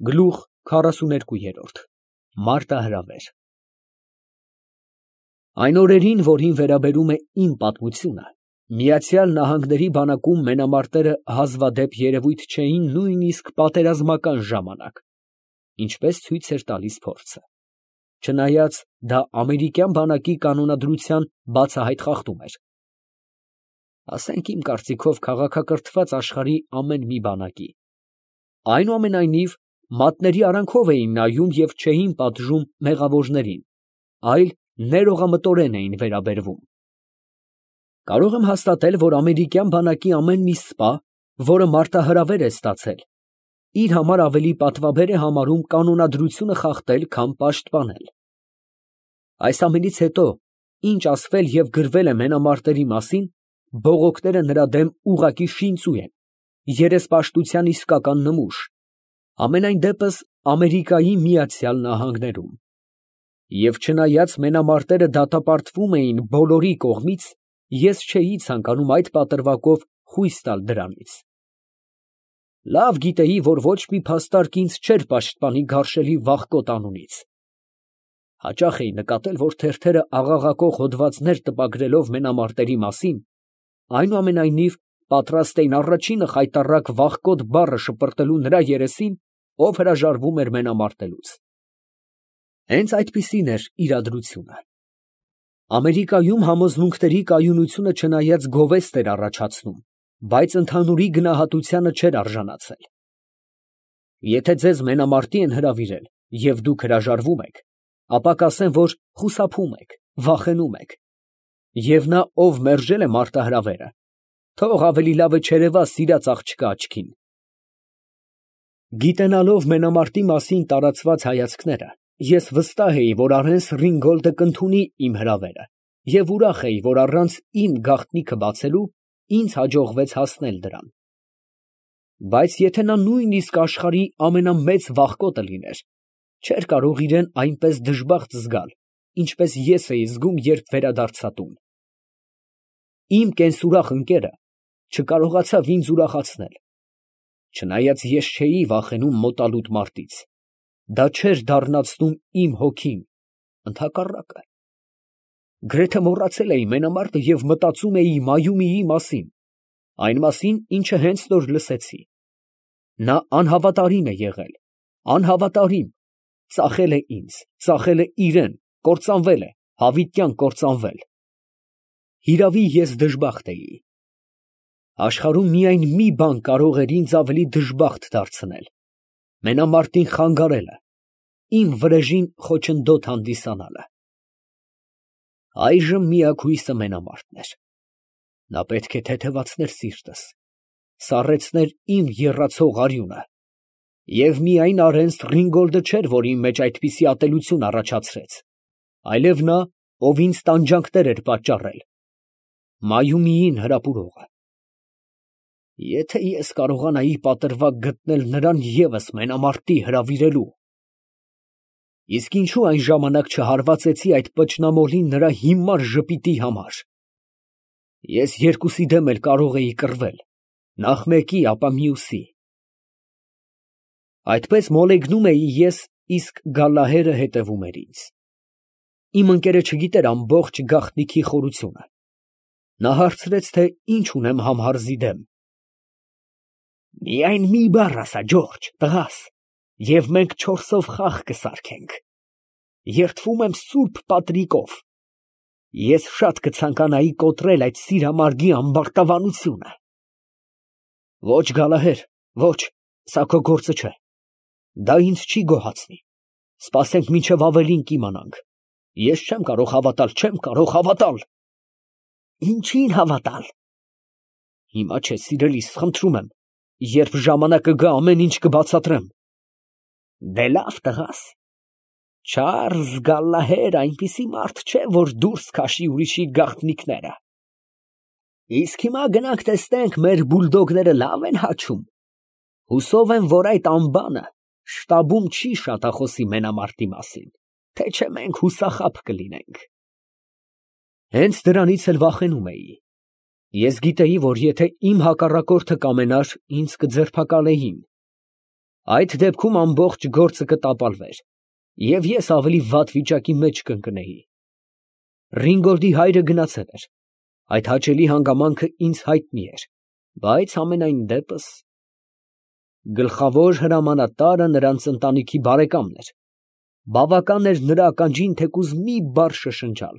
Գլուխ 42 Մարտահրավեր Այն օրերին, որին վերաբերում է իմ պատմությունը, Միացյալ Նահանգների բանակում մենամարտերը հազվադեպ երևույթ չէին նույնիսկ պատերազմական ժամանակ, ինչպես ցույց էր տալիս փորձը, չնայած դա ամերիկյան բանակի կանոնադրության բացահայտ խախտում էր, ասենք իմ կարծիքով քաղաքակրթված աշխարհի ամեն մի բանակի, այնուամենայնիվ մատների արանքով էին նայում և չէին պատժում մեղավորներին, այլ ներողամտորեն էին վերաբերվում։ Կարող եմ հաստատել, որ ամերիկյան բանակի ամեն մի սպա, որը մարտահրավեր է ստացել, իր համար ավելի պատվաբեր է համարում կանոնադրությունը խախտել, քան պաշտպանել։ Այս ամենից հետո, ինչ ասվել և գրվել է մենամարտերի մասին, բողոքները նրա դեմ ուղղակի շինծու են, երեսպաշտության իսկական նմուշ, ամենայն դեպս Ամերիկայի Միացյալ Նահանգներում։ Եվ չնայած մենամարտերը դատապարտվում էին բոլորի կողմից, ես չէի ցանկանում այդ պատրվակով խույս տալ դրանից։ Լավ գիտեի, որ ոչ մի փաստարկ ինձ չէր պաշտպանի գարշելի վախկոտ անունից։ Հաճախ էի նկատել, որ թերթերը աղաղակող հոդվածներ տպագրելով մենամարտերի մասին, այնուամենայնիվ պատրաստ էին առաջինը խայտառակ վախկոտ բառը շպրտելու նրա երեսին, ով հրաժարվում էր մենամարտելուց։ Հենց այդպիսին էր իրադրությունը։ Ամերիկայում համոզմունքների կայունությունը չնայած գովեստ էր առաջացնում, բայց ընդհանուրի գնահատությանը չէր արժանացել։ Եթե ձեզ մենամարտի են հրավիրել, և դուք հրաժարվում եք, ապա կասեն, որ խուսափում եք, վախենում եք։ Եվ նա, ով մերժել է մարտահրավերը, թող ավելի լավ է չերևա սիրած աղջկա աչքին։ Գիտենալով մենամարտի մասին տարածված հայացքները, ես վստահ էի, որ Արենս Ռինգոլդը կընդունի իմ հրավերը, և ուրախ էի, որ առանց իմ գաղտնիքը բացելու ինձ հաջողվեց հասնել դրան։ Բայց եթե նա նույնիսկ աշխարհի ամենամեծ վախկոտը լիներ, չէր կարող իրեն այնպես դժբախտ զգալ, ինչպես ես էի զգում, երբ վերադարձա տուն։ Իմ կենսուրախ ընկերը չկարողացավ ինձ ուրախացնել, չնայած ես չէի վախենում մոտալուտ մարտից, դա չէր դառնացնում իմ հոգին, ընդհակառակը։ Գրեթե մոռացել էի մենամարտը և մտածում էի Մայումիի մասին, այն մասին, ինչը հենց նոր լսեցի։ Նա անհավատարիմ է եղել, անհավատարիմ, ծախել է ինձ, ծախել է իրան, կործանվել է, հավիտյան կործանվել։ Հիրավի, ես դժբախտ էի։ Աշխարհում միայն մի բան կարող էր ինձ ավելի դժբախտ դարձնել, մենամարտին խանգարելը, իմ վրեժին խոչընդոտ հանդիսանալը։ Այժմ միակ հույսը մենամարտն էր։ Նա պետք է թեթևացներ սիրտս, սառեցներ իմ եռացող արյունը, և միայն Արենս Ռինգոլդը չէր, որ իմ մեջ այդպիսի ատելություն առաջացրեց, այլև նա, ով ինձ տանջանքներ էր պատճառել, Մայումիին հրապուրողը։ Եթե ես կարողանայի պատրվակ գտնել նրան ևս մենամարտի հրավիրելու… Իսկ ինչու այն ժամանակ չհարվածեցի այդ պճնամոլին նրա հիմար ժպիտի համար։ Ես երկուսի դեմ էլ կարող էի կռվել, նախ մեկի, ապա մյուսի։ Այդպես մոլեգնում էի ես, իսկ Գալլահերը հետևում էր ինձ։ Իմ ընկերը չգիտեր ամբողջ գաղտնիքի խորությունը։ Նա հարցրեց, թե ինչ ունեմ Համհարզի դեմ։ Միայն մի բառ ասա, Ջորջ, տղաս, և մենք 4-ով խաղ կսարքենք։ Երդվում եմ սուրբ պատրիկով, ես շատ կցանկանայի կոտրել այդ սիրամարգի ամբարտավանությունը։ Ոչ, Գալահեր, ոչ, սա քո գործը չէ, դա ինձ չի գոհացնի, սպասենք մինչև ավելին կիմանանք, ես չեմ կարող հավատալ, չեմ կարող հավատալ։ Ինչին հավատալ։ Հիմա չէ, սիրելիս, խնդրում եմ, երբ ժամանակը գա, ամեն ինչ կբացատրեմ։ Դե լավ, տղաս, Չարլզ Գալլահեր այնպիսի մարդ չէ, որ դուրս քաշի ուրիշի գաղտնիքները։ Իսկ հիմա գնանք տեսնենք, մեր բուլդոգները լավ են հաչում։ Հուսով եմ, որ այդ անբանը շտաբում չի շատախոսի մենամարտի մասին, թե չէ մենք հուսախաբ կլինենք։ Հենց դրանից էլ վախենում էի։ Ես գիտեի, որ եթե իմ հակառակորդը կամենար, ինձ կձերբակալեին։ Այդ դեպքում ամբողջ գործը կտապալվեր, և ես ավելի վատ վիճակի մեջ կընկնեի։ Ռինգոլդի հայրը գնացել էր, այդ հաճելի հանգամանքը ինձ հայտնի էր, բայց ամենայն դեպս… Գլխավոր հրամանատարը նրանց ընտանիքի բարեկամն էր, բավական էր նրա ականջին թեկուզ մի բառ շշնջալ։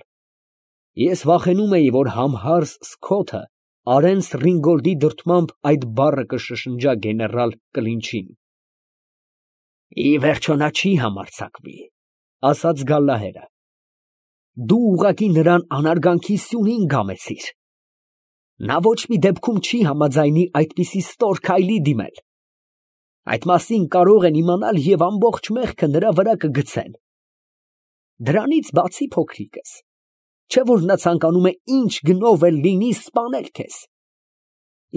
Ես վախենում էի, որ համհարս Սքոթը Արենս Ռինգոլդի դրդմամբ այդ բառը կշշնջա գեներալ Կլինչին։ «Ի վերջո նա չի համարձակվի», ֊ ասաց Գալլահերը։ «Դու ուղղակի նրան անարգանքի սյունին գամեցիր։ Նա ոչ մի դեպքում չի համաձայնի այդպիսի ստոր քայլի դիմել։ Այդ մասին կարող են իմանալ և ամբողջ մեղքը նրա վրա կգցեն։ Դրանից բացի, փոքրիկս, չէ՞ որ նա ցանկանում է ինչ գնով էլ լինի սպանել քեզ։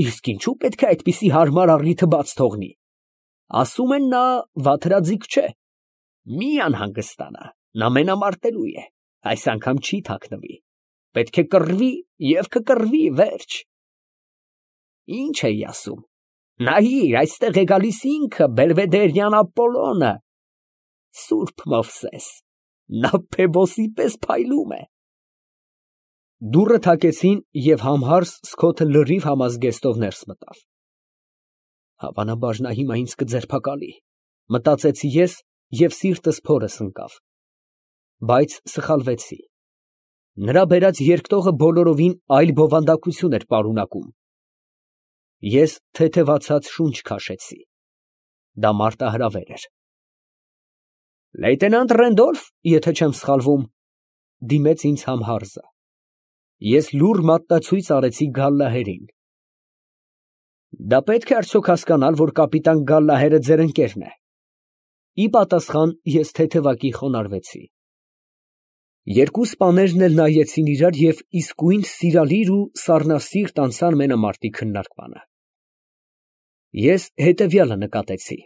Իսկ ինչու պետք է այդպիսի հարմար առիթը բաց թողնի։ Ասում են, նա վաթրաձիգ չէ։ Մի անհանգստանա, նա մենամարտելու է, այս անգամ չի թաքնվի։ Պետք է կռվի և կկռվի, վերջ։ Ինչ էի ասում, նայիր, այստեղ է գալիս ինքը, Բելվեդերյան Ապոլոնը, Սուրբ Մովսես, նա Փեբոսի պես փայլում է»։ Դուռը թակեցին, և համհարս Սքոթը լրիվ համազգեստով ներս մտավ։ Հավանաբար նա հիմա ինձ կձերբակալի, մտածեցի ես, և սիրտս փորս ընկավ։ Բայց սխալվեցի։ Նրա բերած երկտողը բոլորովին այլ բովանդակություն էր պարունակում։ Ես թեթևացած շունչ քաշեցի։ Դա մարտահրավեր էր։ «Լեյտենանտ Ռենդոլֆ, եթե չեմ սխալվում», ֊ դիմեց ինձ համհարսը։ Ես լուռ մատնացույց արեցի Գալլահերին։ «Դա պետք է արդյոք հասկանալ, որ կապիտան Գալլահերը ձեր ընկերն է»։ Ի պատասխան ես թեթևակի խոնարհվեցի։ Երկու սպաներն էլ նայեցին իրար և իսկույն սիրալիր ու սառնասիրտ անցան մենամարտի քննարկմանը։ Ես հետևյալը նկատեցի.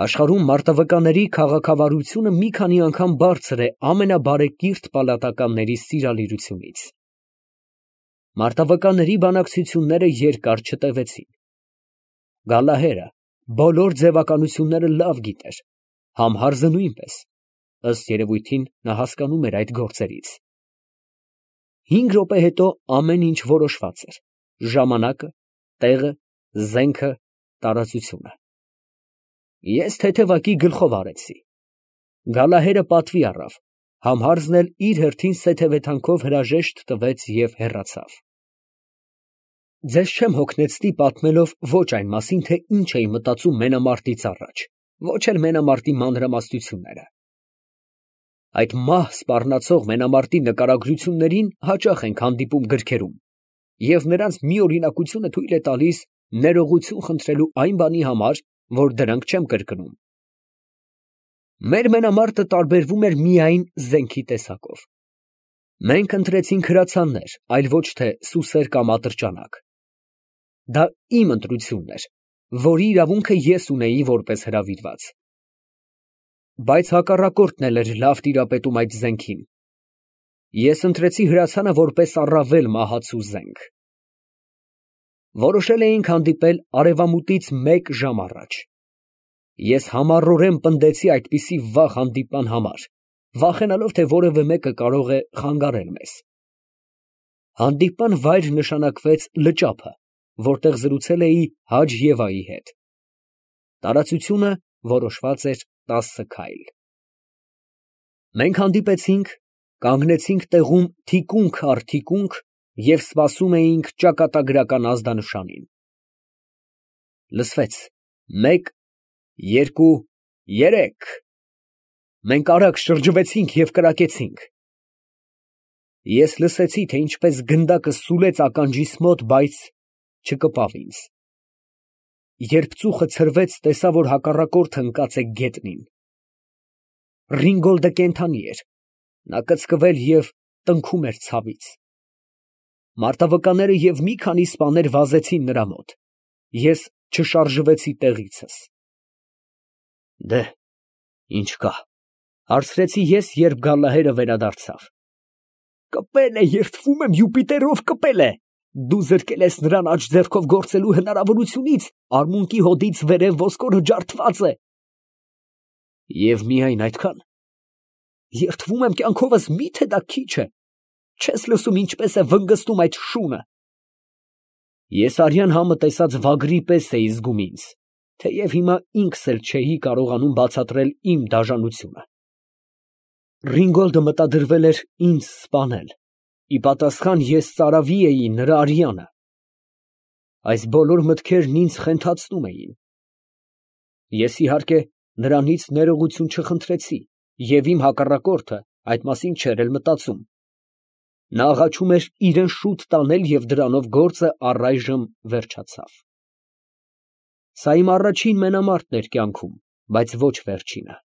աշխարհում մարտավկանների քաղաքավարությունը մի քանի անգամ բարձր է ամենաբարեկիրթ պալատականների սիրալիրությունից։ Մարտավկանների բանակցությունները երկար չտևեցին։ Գալլահերը բոլոր ձևականությունները լավ գիտեր, համհարսը նույնպես, ըստ երևույթին նա հասկանում էր այդ գործերից։ 5 րոպե հետո ամեն ինչ որոշված էր, ժամանակը, տեղը, զենքը, տարածությունը։ Ես թեթևակի գլխով արեցի։ Գալլահերը պատվի առավ, համհարսն էլ իր հերթին սեթևեթանքով հրաժեշտ տվեց և հեռացավ։ Ձեզ չեմ հոգնեցնի պատմելով ոչ այն մասին, թե ինչ էի մտածում մենամարտից առաջ, ոչ էլ մենամարտի մանրամասնությունները։ Այդ մահ սպառնացող մենամարտի նկարագրություններին հաճախ ենք հանդիպում գրքերում, և նրանց մի օրինակությունը թույլ է տալիս ներողություն խնդրելու այն բանի համար, որ դրանք չեմ կրկնում։ Մեր մենամարտը տարբերվում էր միայն զենքի տեսակով։ Մենք ընտրեցինք հրացաններ, այլ ոչ թե սուսեր կամ ատրճանակ։ Դա իմ ընտրությունն էր, որի իրավունքը ես ունեի որպես հրավիրված։ Բայց հակառակորդն էլ էր լավ տիրապետում այդ զենքին։ Ես ընտրեցի հրացանը որպես առավել մահացու զենք։ Որոշել էինք հանդիպել արևամուտից 1 ժամ առաջ։ Ես համառորեն պնդեցի այդպիսի վաղ հանդիպման համար, վախենալով, թե որևէ մեկը կարող է խանգարել մեզ։ Հանդիպման վայր նշանակվեց լճափը, որտեղ զրուցել էի Հաջ֊Եվայի հետ։ Տարածությունը որոշված էր 10 քայլ։ Մենք հանդիպեցինք, կանգնեցինք տեղում թիկունք առ թիկունք և սպասում էինք ճակատագրական ազդանշանին։ Լսվեց. 1, 2, 3… Մենք արագ շրջվեցինք և կրակեցինք։ Ես լսեցի, թե ինչպես գնդակը սուլեց ականջիս մոտ, բայց չկպավ ինձ։ Երբ ծուխը ցրվեց, տեսա, որ հակառակորդը ընկած է գետնին։ Ռինգոլդը կենդանի էր, նա կծկվել և տնքում էր ցավից։ Մարտավկանները և մի քանի սպաներ վազեցին նրա մոտ։ Ես չշարժվեցի տեղիցս։ «Դե, ի՞նչ կա», ֊ հարցրեցի ես, երբ Գալլահերը վերադարձավ։ «Կպել է, երդվում եմ Յուպիտերով, կպել է», Դու զրկել ես նրան աջ ձեռքով գործելու հնարավորությունից, արմունկի հոդից վերև ոսկորը ջարդված է։ Եվ միայն այդքան։ Երդվում եմ կյանքովս, միթե դա քիչ է։ Չես լսում ինչպես է վնգստում այդ շունը։ Ես արյան համը տեսած վագրի պես էի զգում ինձ, թեև հիմա ինքս էլ չէի կարողանում բացատրել իմ դաժանությունը։ Ռինգոլդը մտադրվել էր ինձ սպանել, ի պատասխան ես ծարավի էի նրա արյանը։ Այս բոլոր մտքերն ինձ խենթացնում էին։ Ես իհարկե նրանից ներողություն չխնդրեցի, և իմ հակառակորդը այդ մասին չէր էլ մտածում։ Նա աղաչում էր իրան շուտ տանել և դրանով գործը առայժմ վերջացավ։ Սա իմ առաջին մենամարտն էր կյանքում, բայց ոչ վերջինը։